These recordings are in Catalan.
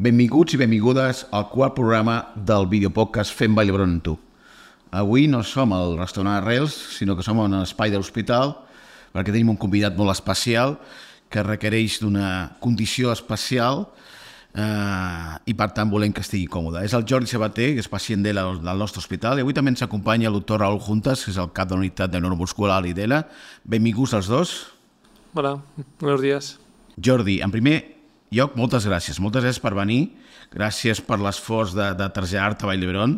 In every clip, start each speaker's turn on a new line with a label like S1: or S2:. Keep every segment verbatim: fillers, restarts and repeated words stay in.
S1: Benvinguts i benvingudes al quart programa del videopodcast Fem Vall d'Hebron amb tu. Avui no som al restaurant Arrels, sinó que som en l'espai de l'hospital, perquè tenim un convidat molt especial que requereix d'una condició especial eh, i per tant volem que estigui còmode. És el Jordi Sabater, que és pacient d'E L A del nostre hospital, i avui també ens acompanya el doctor Raúl Juntas, que és el cap de la unitat de neuromuscular i d'E L A. Benvinguts els dos.
S2: Hola, buenos días.
S1: Jordi, en primer lloc, moltes gràcies. Moltes gràcies per venir. Gràcies per l'esforç de, de traslladar-te a Vall d'Hebron.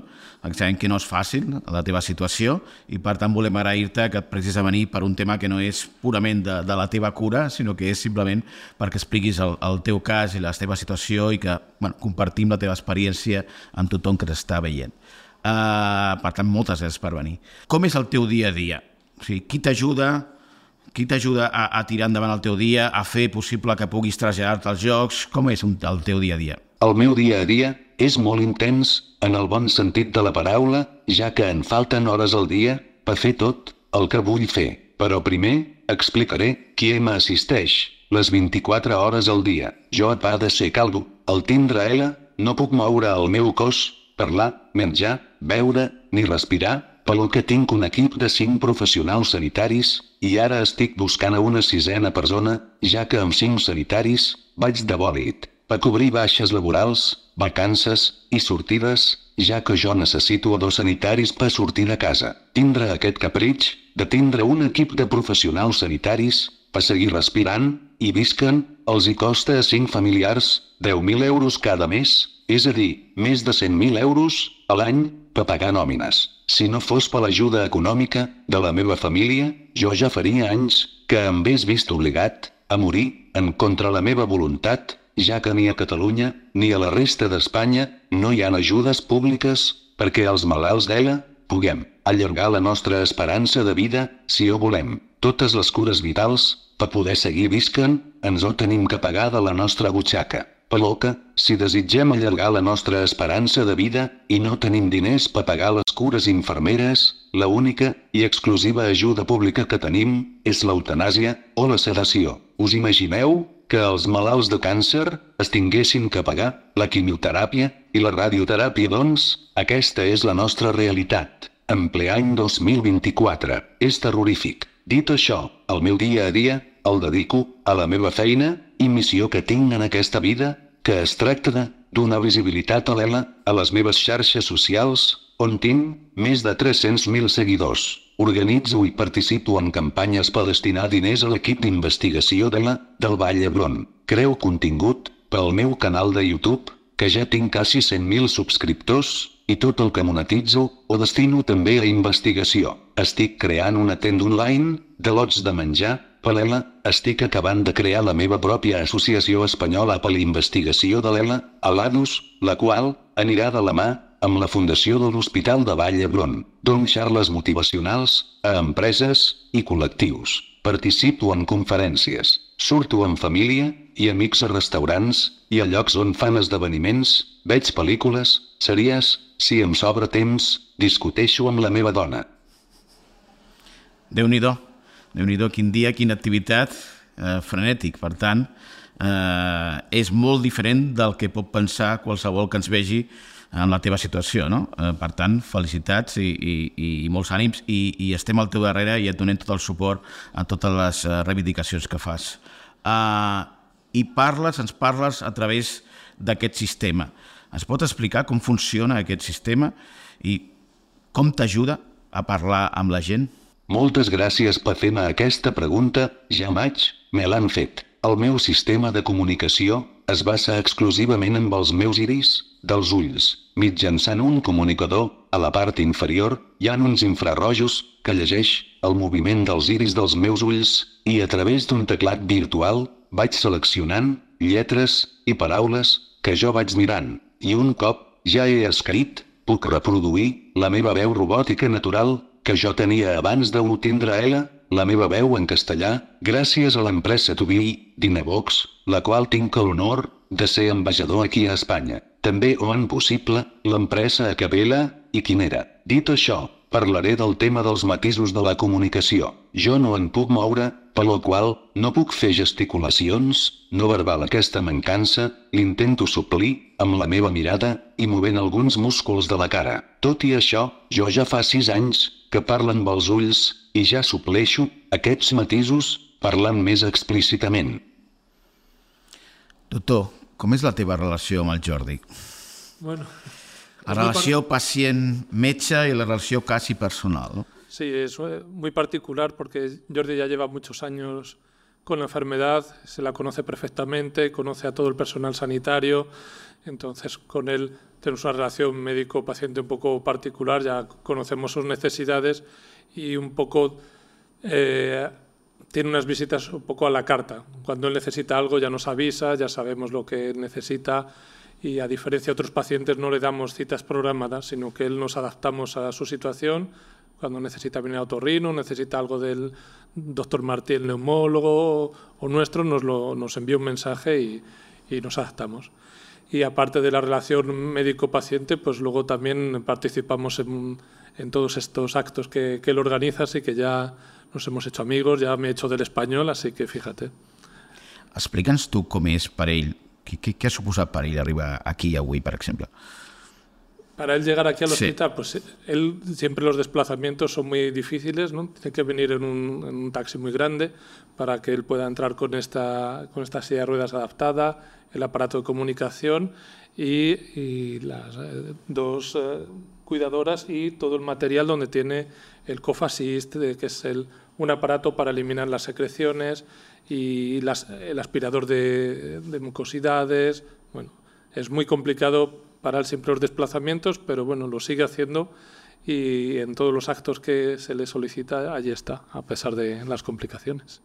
S1: Sabem que no és fàcil, la teva situació, i per tant volem agrair-te que et prestis a venir per un tema que no és purament de, de la teva cura, sinó que és simplement perquè expliquis el, el teu cas i la teva situació i que bueno, compartim la teva experiència amb tothom que t'està veient. Uh, per tant, moltes gràcies per venir. Com és el teu dia a dia? O sigui, qui t'ajuda? Qui t'ajuda a, a tirar endavant el teu dia, a fer possible que puguis traslladar-te als jocs? Com és un, el teu dia a dia?
S3: El meu dia a dia és molt intens, en el bon sentit de la paraula, ja que en falten hores al dia per fer tot el que vull fer. Però primer, explicaré qui m'assisteix les vint-i-quatre hores al dia. Jo et va de ser caldo, al tindre L, no puc moure el meu cos, parlar, menjar, beure, ni respirar, pel que tinc un equip de cinc professionals sanitaris, i ara estic buscant a una sisena persona, ja que amb cinc sanitaris vaig de bòlit, per cobrir baixes laborals, vacances i sortides, ja que jo necessito dos sanitaris per sortir de casa. Tindre aquest capritx de tindre un equip de professionals sanitaris per seguir respirant i visquen els hi costa a cinc familiars deu mil euros cada mes, és a dir, més de cent mil euros a l'any per pagar nòmines. Si no fos per l'ajuda econòmica de la meva família, jo ja faria anys que em hagués vist obligat a morir en contra la meva voluntat, ja que ni a Catalunya ni a la resta d'Espanya no hi ha ajudes públiques perquè els malalts d'E L A puguem allargar la nostra esperança de vida si ho volem. Totes les cures vitals, per poder seguir visquen, ens ho tenim que pagar de la nostra butxaca. Però que, si desitgem allargar la nostra esperança de vida i no tenim diners per pagar les cures infermeres, la única i exclusiva ajuda pública que tenim és l'eutanàsia o la sedació. Us imagineu que els malalts de càncer es tinguessin que pagar la quimioteràpia i la radioteràpia? Doncs, aquesta és la nostra realitat. En ple any dos mil vint-i-quatre. És terrorífic. Dit això, el meu dia a dia el dedico a la meva feina i missió que tinc en aquesta vida, que es tracta de donar visibilitat a l'E L A a les meves xarxes socials, on tinc més de tres-cents mil seguidors. Organitzo i participo en campanyes per destinar diners a l'equip d'investigació d'E L A del Vall d'Hebron. Creo contingut pel meu canal de YouTube, que ja tinc quasi cent mil subscriptors, i tot el que monetitzo ho destino també a investigació. Estic creant una tenda online de lots de menjar per l'E L A. Estic acabant de crear la meva pròpia associació espanyola per la investigació de l'E L A, a l'ADUS, la qual anirà de la mà amb la fundació de l'Hospital de Vall d'Hebron. Dono xarles motivacionals a empreses i col·lectius. Participo en conferències. Surto amb família i amics a restaurants i a llocs on fan esdeveniments, veig pel·lícules, sèries, si em sobra temps, discuteixo amb la meva dona.
S1: Déu-n'hi-do. Déu-n'hi-do, quin dia, quina activitat, eh, frenètic. Per tant, eh, és molt diferent del que pot pensar qualsevol que ens vegi en la teva situació, no? Eh, per tant, felicitats i, i, i molts ànims i, i estem al teu darrere i et donem tot el suport a totes les uh, reivindicacions que fas. Uh, I parles, ens parles a través d'aquest sistema. Ens pot explicar com funciona aquest sistema i com t'ajuda a parlar amb la gent?
S3: Moltes gràcies per fer-me aquesta pregunta, ja maig, me l'han fet. El meu sistema de comunicació es basa exclusivament amb els meus iris dels ulls. Mitjançant un comunicador, a la part inferior, hi ha uns infrarrojos que llegeix el moviment dels iris dels meus ulls i a través d'un teclat virtual vaig seleccionant lletres i paraules que jo vaig mirant. I un cop ja he escrit, puc reproduir la meva veu robòtica natural que jo tenia abans de tindre L, la meva veu en castellà, gràcies a l'empresa Tubi Dynavox, la qual tinc l'honor de ser ambaixador aquí a Espanya. També ho han possible l'empresa Acapella i Quinera. Dit això, parlaré del tema dels matisos de la comunicació. Jo no en puc moure, per lo qual no puc fer gesticulacions, no verbal. Aquesta mancança l'intento suplir amb la meva mirada i movent alguns músculs de la cara. Tot i això, jo ja fa sis anys que parlo amb els ulls i ja supleixo aquests matisos parlant més explícitament.
S1: Doctor, com és la teva relació amb el Jordi?
S2: Bueno,
S1: La relació pacient-metge y la relación casi personal, ¿no?
S2: sí, es muy particular porque Jordi ya lleva muchos años con la enfermedad, se la conoce perfectamente, conoce a todo el personal sanitario, entonces con él tenemos una relación médico-paciente un poco particular, ya conocemos sus necesidades y un poco eh, tiene unas visitas un poco a la carta. Cuando él necesita algo ya nos avisa, ya sabemos lo que necesita. Y a diferencia de otros pacientes no le damos citas programadas, sino que él nos adaptamos a su situación. Cuando necesita venir a otorrino, necesita algo del doctor Martí, el neumólogo, o nuestro, nos, lo, nos envía un mensaje y, y nos adaptamos. Y aparte de la relación médico-paciente, pues luego también participamos en, en todos estos actos que, que él organiza, así que ya nos hemos hecho amigos, ya me he hecho del español, así que fíjate.
S1: Explica'ns tu com és per ell. ¿Qué, qué, qué ha suposat per ell arribar aquí avui, per exemple?
S2: Para él llegar aquí al
S1: Sí.
S2: hospital, pues él siempre los desplazamientos son muy difíciles, ¿no? Tiene que venir en un, en un taxi muy grande para que él pueda entrar con esta, con esta silla de ruedas adaptada, el aparato de comunicación y, y las eh, dos eh, cuidadoras y todo el material donde tiene el Cough Assist, eh, que es el, un aparato para eliminar las secreciones y las, el aspirador de, de mucosidades. Bueno, es muy complicado para él siempre los desplazamientos, pero bueno, lo sigue haciendo y en todos los actos que se le solicita, allí está, a pesar de las complicaciones.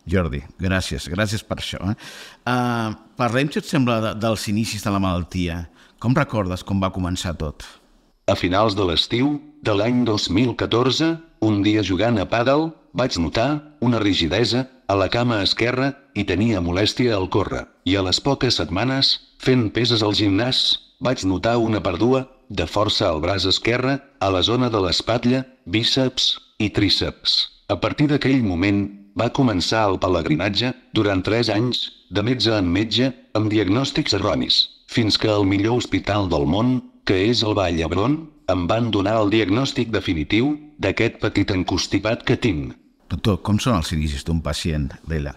S1: Jordi, gràcies, gràcies per això. Eh? Uh, parlem, si et sembla, de, dels inicis de la malaltia. Com recordes com va començar tot?
S3: A finals de l'estiu de l'any dos mil catorze, un dia jugant a pàdel, vaig notar una rigidesa a la cama esquerra i tenia molèstia al córrer. I a les poques setmanes, fent peses al gimnàs, vaig notar una pèrdua de força al braç esquerre, a la zona de l'espatlla, bíceps i tríceps. A partir d'aquell moment, va començar el pelegrinatge durant tres anys, de metge en metge, amb diagnòstics erronis, fins que al millor hospital del món, que és el Vall d'Hebron, em van donar el diagnòstic definitiu d'aquest petit encostipat que tinc.
S1: Doctor, com són els inicis d'un pacient d'Ela?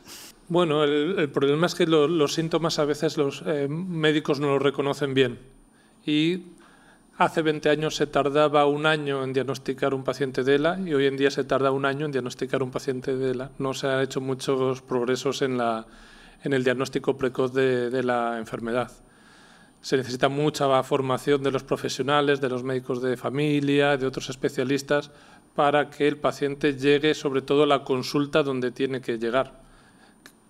S2: Bueno, el, el problema es que lo, los síntomas a veces los eh, médicos no los reconocen bien. Y hace veinte años se tardaba un año en diagnosticar un paciente de ELA y hoy en día se tarda un año en diagnosticar un paciente de ELA. No se han hecho muchos progresos en, la, en el diagnóstico precoz de, de la enfermedad. Se necesita mucha formación de los profesionales, de los médicos de familia, de otros especialistas, para que el paciente llegue sobre todo a la consulta donde tiene que llegar.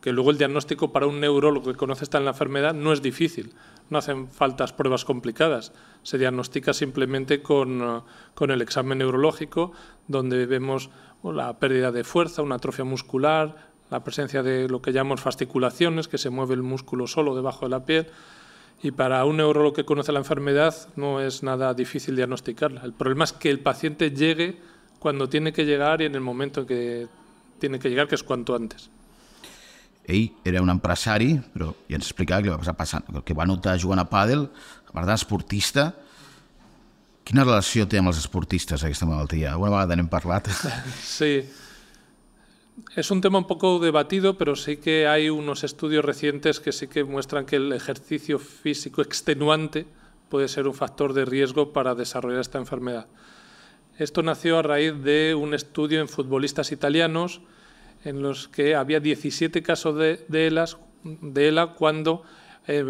S2: Que luego el diagnóstico para un neurólogo que conoce esta en la enfermedad no es difícil, no hacen faltas pruebas complicadas, se diagnostica simplemente con, con el examen neurológico, donde vemos la pérdida de fuerza, una atrofia muscular, la presencia de lo que llamamos fasciculaciones, que se mueve el músculo solo debajo de la piel, y para un neurólogo que conoce la enfermedad no es nada difícil diagnosticarla. El problema es que el paciente llegue cuando tiene que llegar y en el momento en que tiene que llegar, que es cuanto antes.
S1: Ell era un empresari, però ja ens explicava què va passar passant, el que va notar jugant a pàdel, a part d'esportista. Quina relació té amb els esportistes aquesta malaltia? Alguna vegada n'hem parlat?
S2: Sí, es un tema un poco debatido, pero sí que hay unos estudios recientes que sí que muestran que el ejercicio físico extenuante puede ser un factor de riesgo para desarrollar esta enfermedad. Esto nació a raíz de un estudio en futbolistas italianos en los que había diecisiete casos de, de, ELAs, de ELA cuando, eh,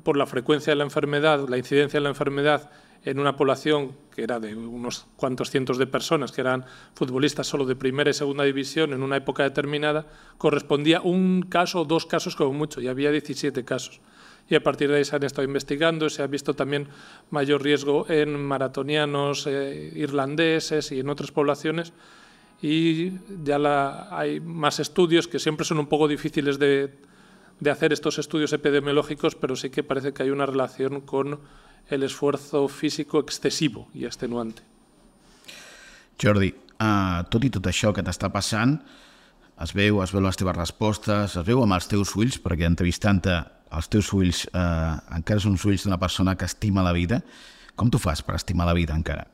S2: por la frecuencia de la enfermedad, la incidencia de la enfermedad en una población que era de unos cuantos cientos de personas, que eran futbolistas solo de primera y segunda división en una época determinada, correspondía un caso o dos casos como mucho, y había diecisiete casos. Y a partir de ahí se han estado investigando, se ha visto también mayor riesgo en maratonianos eh, irlandeses y en otras poblaciones, y ya la, hay más estudios que siempre son un poco difíciles de, de hacer estos estudios epidemiológicos, pero sí que parece que hay una relación con el esfuerzo físico excesivo y extenuante.
S1: Jordi, uh, tot i tot això que t'està passant, es veu, es veu les teves respostes, es veu amb els teus ulls, perquè entrevistant-te els teus ulls uh, encara són els ulls d'una persona que estima la vida. Com t'ho fas per estimar la vida encara?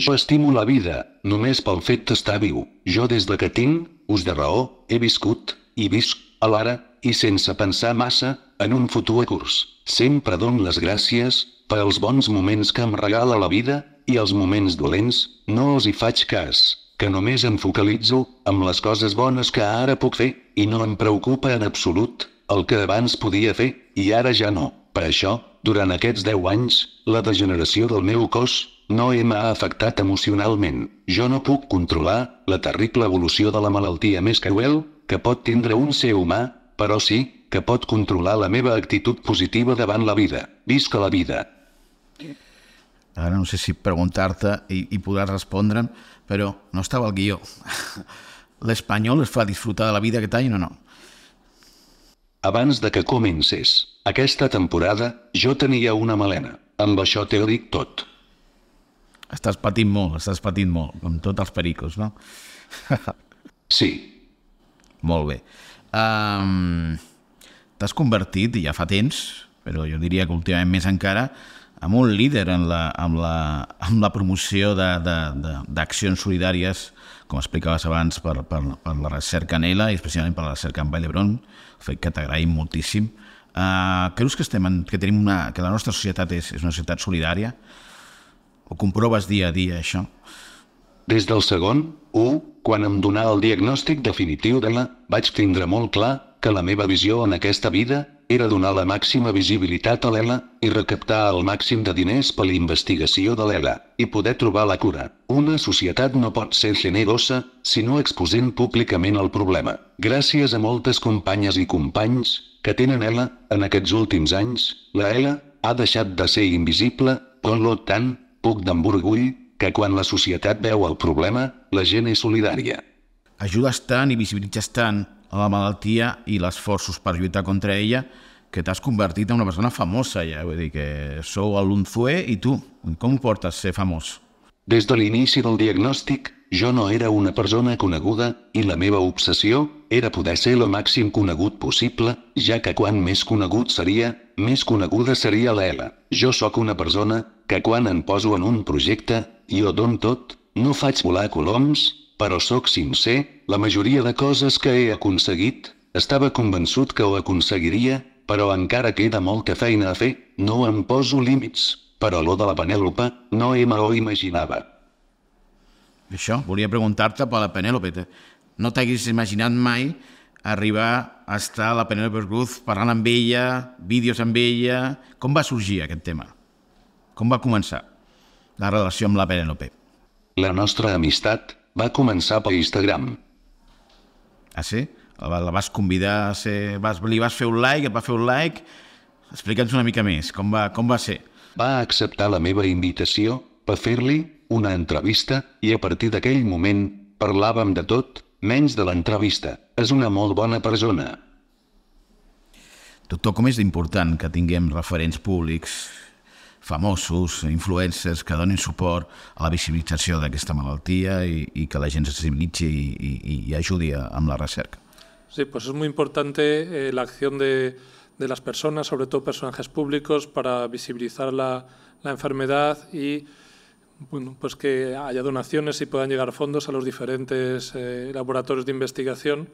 S3: Jo estimo la vida, només pel fet d'estar viu. Jo des de que tinc ús de raó, he viscut, i visc, a l'ara, i sense pensar massa, en un futur curs. Sempre dono les gràcies per als bons moments que em regala la vida, i els moments dolents, no els hi faig cas, que només em focalitzo amb les coses bones que ara puc fer, i no em preocupa en absolut el que abans podia fer, i ara ja no. Per això, durant aquests deu anys, la degeneració del meu cos no m'ha afectat emocionalment. Jo no puc controlar la terrible evolució de la malaltia més cruel que pot tindre un ser humà, però sí que pot controlar la meva actitud positiva davant la vida. Visca la vida.
S1: Ara no sé si preguntar-te i, i podràs respondre'm, però no estava al guió. L'espanyol es fa disfrutar de la vida aquest any o no?
S3: Abans de que comencés aquesta temporada, jo tenia una melena. Amb això t'ho dic tot.
S1: Estàs patint molt, estàs patint molt, com tots els pericos, no?
S3: Sí.
S1: Molt bé. Um, T'has convertit, ja fa temps, però jo diria que últimament més encara, en un líder en la, en la, en la promoció d'accions solidàries, com explicaves abans, per, per, per la recerca en ELA i especialment per la recerca en Vall d'Hebron, fet que t'agraïm moltíssim. Uh, creus que, estem en, que, tenim una, que la nostra societat és, és una societat solidària? O comproves dia a dia això?
S3: Des del segon, u, quan em donà el diagnòstic definitiu d'ELA, vaig tindre molt clar que la meva visió en aquesta vida era donar la màxima visibilitat a l'ELA i recaptar el màxim de diners per la investigació de l'ELA i poder trobar la cura. Una societat no pot ser generosa si no exposent públicament el problema. Gràcies a moltes companyes i companys que tenen ELA en aquests últims anys, la ELA ha deixat de ser invisible, per tant, puc d'emborgull que quan la societat veu el problema, la gent és solidària.
S1: Ajudes tant i visibilitzes tant a la malaltia i els esforços per lluitar contra ella que t'has convertit en una persona famosa ja, vull dir que sou a l'Unzué i tu, com ho portes ser famós?
S3: Des de l'inici del diagnòstic, jo no era una persona coneguda i la meva obsessió era poder ser el màxim conegut possible, ja que quan més conegut seria, més coneguda seria l'ELA. Jo sóc una persona que quan em poso en un projecte, jo dono tot, no faig volar coloms, però sóc sincer, la majoria de coses que he aconseguit, estava convençut que ho aconseguiria, però encara queda molta feina a fer, no em poso límits, però lo de la Penèlope no me ho imaginava.
S1: Això, volia preguntar-te per la Penèlope. No t'haguis imaginat mai arribar a estar a la Penèlope Cruz parlant amb ella, vídeos amb ella... Com va sorgir aquest tema? Com va començar la relació amb la Penèlope?
S3: La nostra amistat va començar per Instagram.
S1: Ah, sí? La, la vas convidar a ser... Vas, li vas fer un like, et va fer un like... Explica'ns una mica més, com va, com va ser?
S3: Va acceptar la meva invitació per fer-li una entrevista i a partir d'aquell moment parlàvem de tot, menys de l'entrevista. És una molt bona persona.
S1: Doctor, com és important que tinguem referents públics, famosos, influencers, que donin suport a la visibilització d'aquesta malaltia i, y que la gent se sensibilitzi i, i, i ajudi amb la recerca?
S2: Sí, pues es muy importante eh, la acción de, de las personas, sobre todo personajes públicos, para visibilizar la, la enfermedad y bueno, pues que haya donaciones y puedan llegar fondos a los diferentes eh, laboratorios de investigación,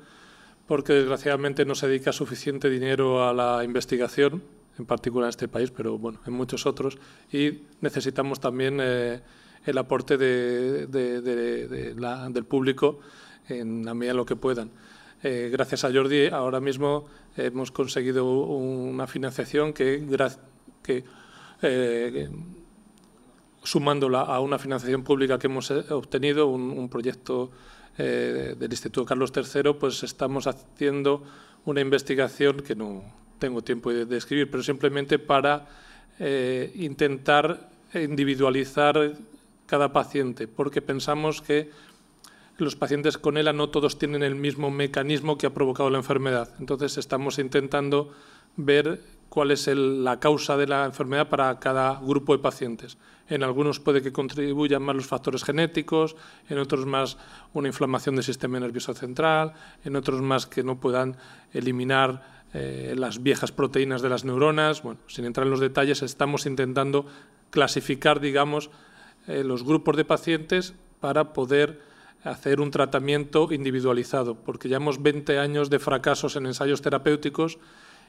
S2: porque desgraciadamente no se dedica suficiente dinero a la investigación, en particular en este país, pero bueno, en muchos otros, y necesitamos también eh, el aporte de, de, de, de la, del público en la medida de lo que puedan. Eh, gracias a Jordi, ahora mismo hemos conseguido una financiación que, que eh, sumándola a una financiación pública que hemos obtenido, un, un proyecto eh, del Instituto Carlos tercero, pues estamos haciendo una investigación que no tengo tiempo de describir, pero simplemente para eh, intentar individualizar cada paciente, porque pensamos que los pacientes con ELA no todos tienen el mismo mecanismo que ha provocado la enfermedad. Entonces estamos intentando ver cuál es el, la causa de la enfermedad para cada grupo de pacientes. En algunos puede que contribuyan más los factores genéticos, en otros más una inflamación del sistema nervioso central, en otros más que no puedan eliminar eh, las viejas proteínas de las neuronas. Bueno, sin entrar en los detalles, estamos intentando clasificar, digamos, eh, los grupos de pacientes para poder hacer un tratamiento individualizado, porque llevamos veinte años de fracasos en ensayos terapéuticos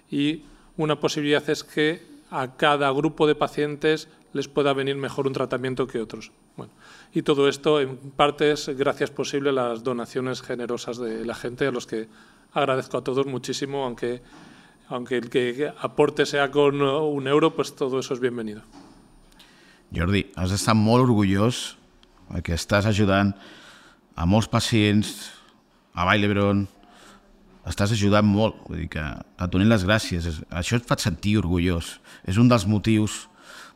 S2: y una posibilidad es que a cada grupo de pacientes les pueda venir mejor un tratamiento que otros. Bueno, y todo esto en parte es gracias posible a las donaciones generosas de la gente, a los que agradezco a todos muchísimo, aunque, aunque el que aporte sea con un euro, pues todo eso es bienvenido.
S1: Jordi, has d'estar molt orgullós perquè estàs ajudant a molts pacients, a Vall d'Hebron, estàs ajudant molt, vull dir que et donem les gràcies. Això et fa sentir orgullós. És un dels motius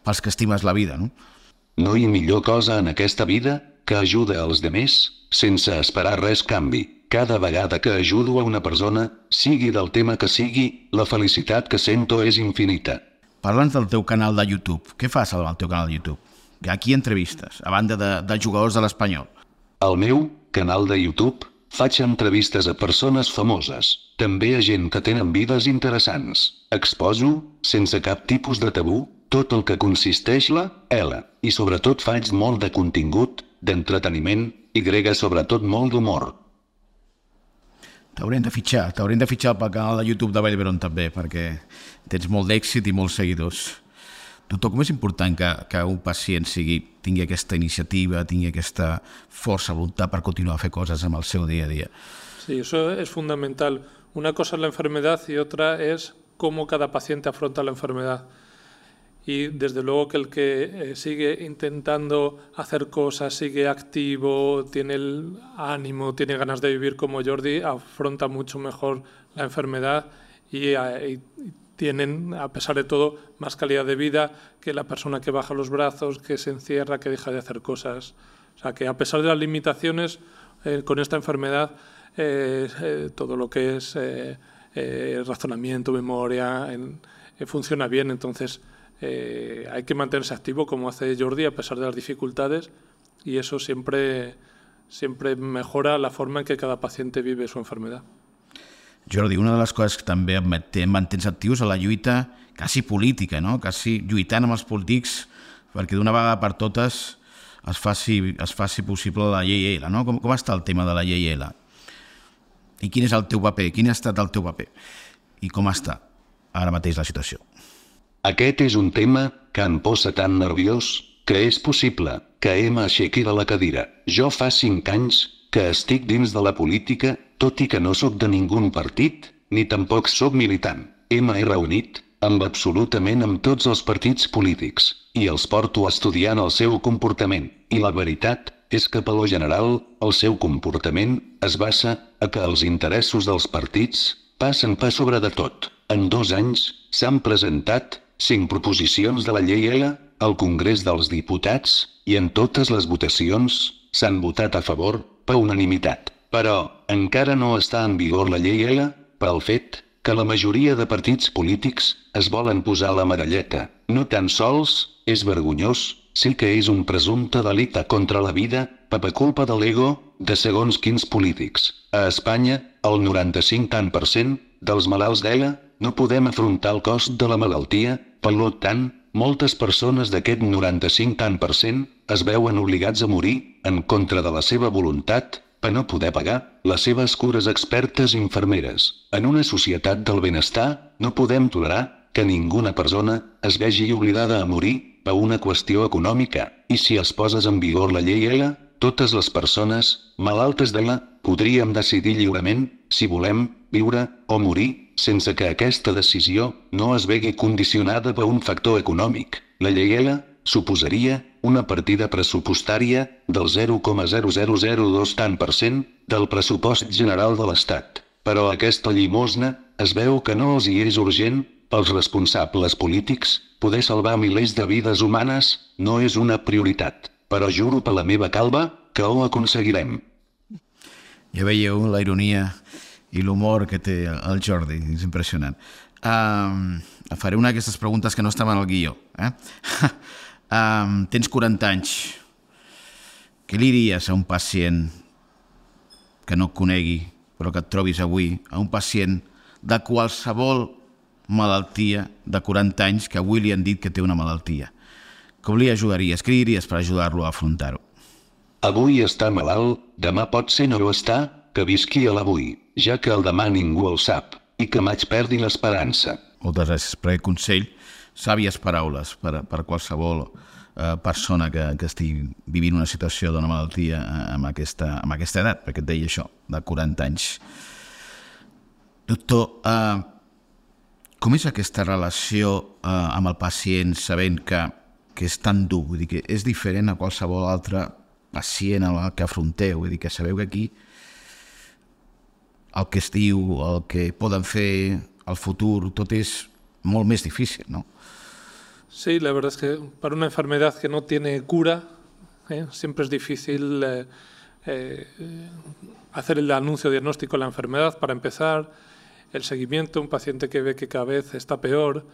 S1: pels que estimes la vida, no?
S3: No hi ha millor cosa en aquesta vida que ajudar als demés sense esperar res canvi. Cada vegada que ajudo a una persona, sigui del tema que sigui, la felicitat que sento és infinita.
S1: Parla'ns del teu canal de YouTube. Què fas al teu canal de YouTube? A qui entrevistes, a banda de, de jugadors de l'Espanyol?
S3: Al meu canal de YouTube faig entrevistes a persones famoses, també a gent que tenen vides interessants. Exposo, sense cap tipus de tabú, tot el que consisteix la L. I sobretot faig molt de contingut, d'entreteniment, i grega sobretot molt d'humor.
S1: T'haurem de fitxar, t'haurem de fitxar pel canal de YouTube de Vall d'Hebron també, perquè tens molt d'èxit i molts seguidors. Doctor, com és important que, que un pacient sigui, tingui aquesta iniciativa, tingui aquesta força, voluntat per continuar a fer coses en el seu día a día?
S2: Sí, eso es fundamental. Una cosa es la enfermedad y otra es cómo cada paciente afronta la enfermedad. Y desde luego que el que eh, sigue intentando hacer cosas, sigue activo, tiene el ánimo, tiene ganas de vivir como Jordi, afronta mucho mejor la enfermedad y, y, y tienen, a pesar de todo, más calidad de vida que la persona que baja los brazos, que se encierra, que deja de hacer cosas. O sea, que a pesar de las limitaciones, eh, con esta enfermedad, eh, eh, todo lo que es eh, eh, razonamiento, memoria, en, eh, funciona bien. Entonces, eh, hay que mantenerse activo, como hace Jordi, a pesar de las dificultades, y eso siempre, siempre mejora la forma en que cada paciente vive su enfermedad.
S1: Jordi, una de les coses que també et mantens actius a la lluita quasi política, no? Quasi lluitant amb els polítics perquè d'una vegada per totes es faci, es faci possible la llei L, no? Com, com està el tema de la llei L? I quin és el teu paper? Quin ha estat el teu paper? I com està ara mateix la situació?
S3: Aquest és un tema que em posa tan nerviós que és possible que em aixequi de la cadira. Jo fa cinc anys que estic dins de la política, tot i que no sóc de ningun partit, ni tampoc sóc militant. M'he reunit amb absolutament amb tots els partits polítics, i els porto estudiant el seu comportament, i la veritat és que per lo general el seu comportament es basa a que els interessos dels partits passen per sobre de tot. En dos anys s'han presentat cinc proposicions de la llei L al Congrés dels Diputats, i en totes les votacions s'han votat a favor per unanimitat. Però encara no està en vigor la llei L pel fet que la majoria de partits polítics es volen posar la medalleta. No tan sols és vergonyós, sí que és un presumpte delicte contra la vida per culpa de l'ego de segons quins polítics. A Espanya, el noranta-cinc per cent dels malalts d'E L A no podem afrontar el cost de la malaltia, per tant, moltes persones d'aquest noranta-cinc per cent es veuen obligats a morir en contra de la seva voluntat per no poder pagar les seves cures expertes infermeres. En una societat del benestar no podem tolerar que ninguna persona es vegi obligada a morir per una qüestió econòmica, i si es poses en vigor la llei L, totes les persones malaltes d'E L A podríem decidir lliurement si volem viure o morir sense que aquesta decisió no es vegi condicionada per un factor econòmic. La llei L suposaria una partida pressupostària del zero coma zero zero zero dos per cent del pressupost general de l'Estat. Però aquesta llimosna es veu que no els hi és urgent pels responsables polítics. Poder salvar milers de vides humanes no és una prioritat. Però juro per la meva calva que ho aconseguirem.
S1: Ja veieu la ironia i l'humor que té el Jordi, és impressionant. Um, faré una d'aquestes preguntes que no estaven al guió. Eh? um, tens quaranta anys. Què li diries a un pacient que no et conegui, però que et trobis avui, a un pacient de qualsevol malaltia de quaranta anys que avui li han dit que té una malaltia? Com li ajudaries? Què li diries per ajudar-lo a afrontar-ho?
S3: Avui està malalt, demà pot ser no ho està, que visqui a l'avui, ja que el demà ningú el sap, i que maig perdi l'esperança.
S1: Moltes gràcies per aquest consell. Sàvies paraules per, per qualsevol eh, persona que, que estigui vivint una situació d'una malaltia eh, amb, aquesta, amb aquesta edat, perquè et deia això, de quaranta anys. Doctor, eh, com és aquesta relació eh, amb el pacient sabent que, que és tan dur? Vull dir que és diferent a qualsevol altre pacient al que afronteu, vull dir que sabeu que aquí el que es diu, el que poden fer, el futur, tot és molt més difícil, ¿no?
S2: Sí, la verdad es que para una enfermedad que no tiene cura, ¿eh? siempre es difícil eh, eh, hacer el anuncio diagnóstico de la enfermedad. Para empezar, el seguimiento, un paciente que ve que cada vez está peor,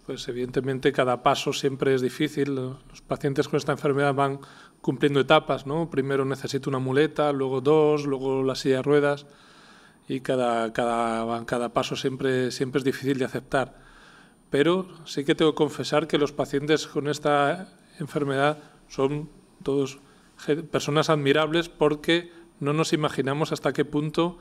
S2: pues evidentemente cada paso siempre es difícil. Los pacientes con esta enfermedad van cumpliendo etapas, ¿no? Primero necesito una muleta, luego dos, luego la silla de ruedas, y cada, cada, cada paso siempre, siempre es difícil de aceptar. Pero sí que tengo que confesar que los pacientes con esta enfermedad son todos personas admirables, porque no nos imaginamos hasta qué punto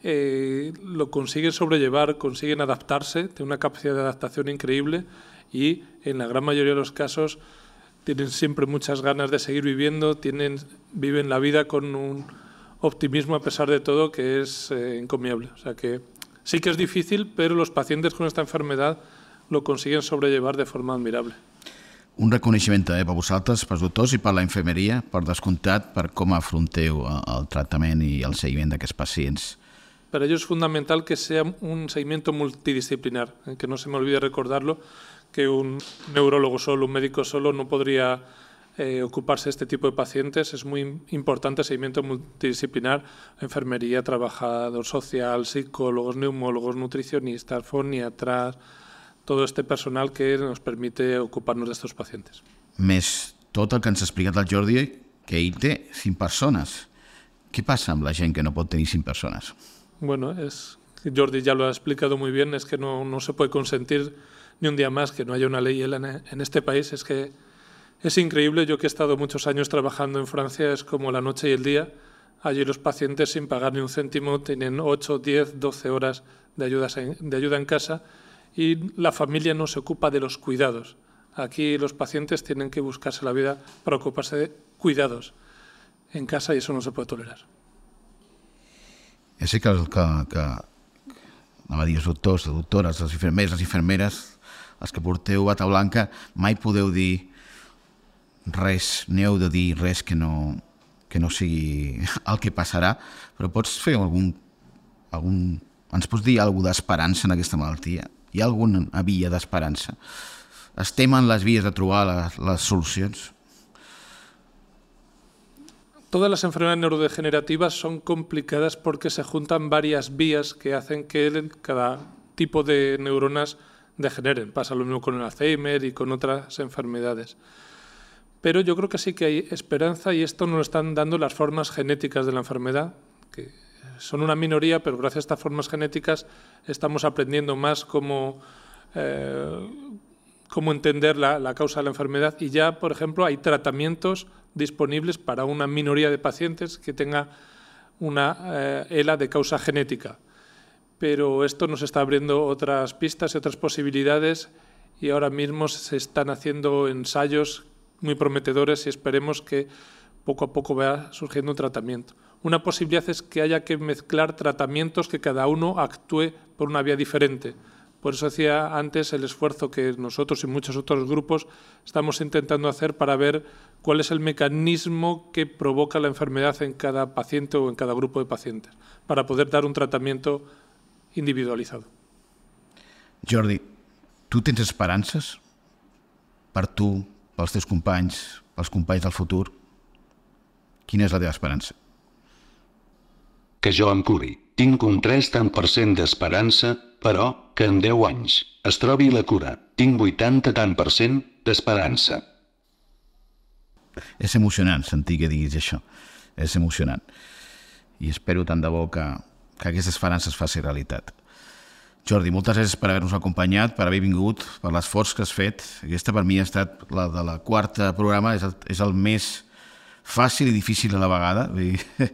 S2: eh, lo consiguen sobrellevar, consiguen adaptarse, tienen una capacidad de adaptación increíble, y en la gran mayoría de los casos tienen siempre muchas ganas de seguir viviendo, tienen, viven la vida con un optimismo a pesar de todo que es eh, encomiable. O sea que sí que es difícil, pero los pacientes con esta enfermedad lo consiguen sobrellevar de forma admirable.
S1: Un reconeixement també per vosaltres, pels doctors i per la infermeria, per descomptat, per com afronteu el tractament i el seguiment d'aquests pacients.
S2: Para ello es fundamental que sea un seguimiento multidisciplinar, eh, que no se me olvide recordarlo, que un neurólogo solo, un médico solo no podría eh, ocuparse de este tipo de pacientes. Es muy importante el seguimiento multidisciplinar, enfermería, trabajador social, psicólogos, neumólogos, nutricionistas, foniatras, todo este personal que nos permite ocuparnos de estos pacientes.
S1: Més tot el que ens ha explicat el Jordi, que ell té cinc persones. Què passa amb la gent que no pot tenir cinc persones?
S2: Bueno, es, Jordi ya lo ha explicado muy bien, es que no, no se puede consentir ni un día más que no haya una ley en, en este país. Es que es increíble. Yo que he estado muchos años trabajando en Francia, es como la noche y el día. Allí los pacientes sin pagar ni un céntimo tienen ocho, diez, doce horas de ayuda, de ayuda en casa, y la familia no se ocupa de los cuidados. Aquí los pacientes tienen que buscarse la vida para ocuparse de cuidados en casa, y eso no se puede tolerar.
S1: Ja sé que, que, que anava a dir els doctors, les doctores, els infermers, les infermeres, els que porteu bata blanca, mai podeu dir res, ni heu de dir res que no, que no sigui el que passarà, però pots fer algun, algun ens pots dir alguna d'esperança en aquesta malaltia? Hi ha alguna via d'esperança? Estem en les vies de trobar les, les solucions?
S2: Todas las enfermedades neurodegenerativas son complicadas porque se juntan varias vías que hacen que cada tipo de neuronas degeneren. Pasa lo mismo con el Alzheimer y con otras enfermedades. Pero yo creo que sí que hay esperanza, y esto nos lo están dando las formas genéticas de la enfermedad, que son una minoría, pero gracias a estas formas genéticas estamos aprendiendo más cómo, eh, cómo entender la, la causa de la enfermedad, y ya, por ejemplo, hay tratamientos disponibles para una minoría de pacientes que tenga una eh, E L A de causa genética. Pero esto nos está abriendo otras pistas y otras posibilidades, y ahora mismo se están haciendo ensayos muy prometedores, y esperemos que poco a poco vaya surgiendo un tratamiento. Una posibilidad es que haya que mezclar tratamientos que cada uno actúe por una vía diferente. Por eso decía antes el esfuerzo que nosotros y muchos otros grupos estamos intentando hacer para ver cuál es el mecanismo que provoca la enfermedad en cada paciente o en cada grupo de pacientes, para poder dar un tratamiento individualizado.
S1: Jordi, tu tens esperances per tu, pels teus companys, pels companys del futur? Quina és la teva esperança?
S3: Que jo em curi. Tinc un tres tant per cent d'esperança, però, que en deu anys es trobi la cura. Tinc vuitanta tant per cent d'esperança.
S1: És emocionant sentir que diguis això. És emocionant. I espero tant de bo que, que aquesta esperança es faci realitat. Jordi, moltes gràcies per haver-nos acompanyat, per haver vingut, per l'esforç que has fet. Aquesta per mi ha estat la de la quarta programa, és el, és el més fàcil i difícil a la vegada. Vull dir,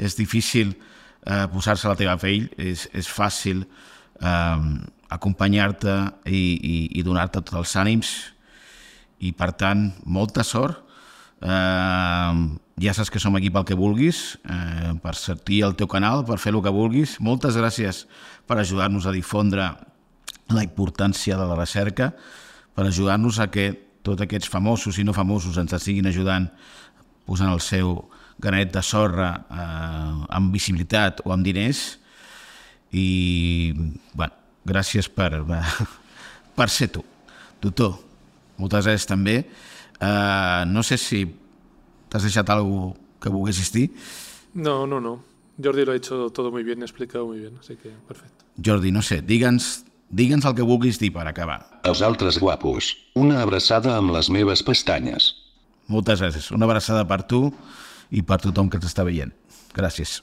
S1: és difícil eh, posar-se a la teva pell, és, és fàcil eh, acompanyar-te i, i, i donar-te tots els ànims, i per tant, molta sort. Eh, ja saps que som aquí pel que vulguis, eh, per sortir al teu canal, per fer el que vulguis. Moltes gràcies per ajudar-nos a difondre la importància de la recerca, per ajudar-nos a que tots aquests famosos i no famosos ens estiguin ajudant posant el seu granet de sorra eh, amb visibilitat o amb diners. I bueno, gràcies per, per ser tu. Doctor, moltes gràcies també. Uh, no sé si t'has deixat alguna cosa que volguessis dir.
S2: No, no, no. Jordi lo ha hecho todo muy bien, explicado muy bien, así que perfecto.
S1: Jordi, no sé, digue'ns digue'ns el que vulguis dir per acabar.
S3: Els altres guapos, una abraçada amb les meves pestanyes.
S1: Moltes gràcies. Una abraçada per tu i per tothom que t'està veient. Gràcies.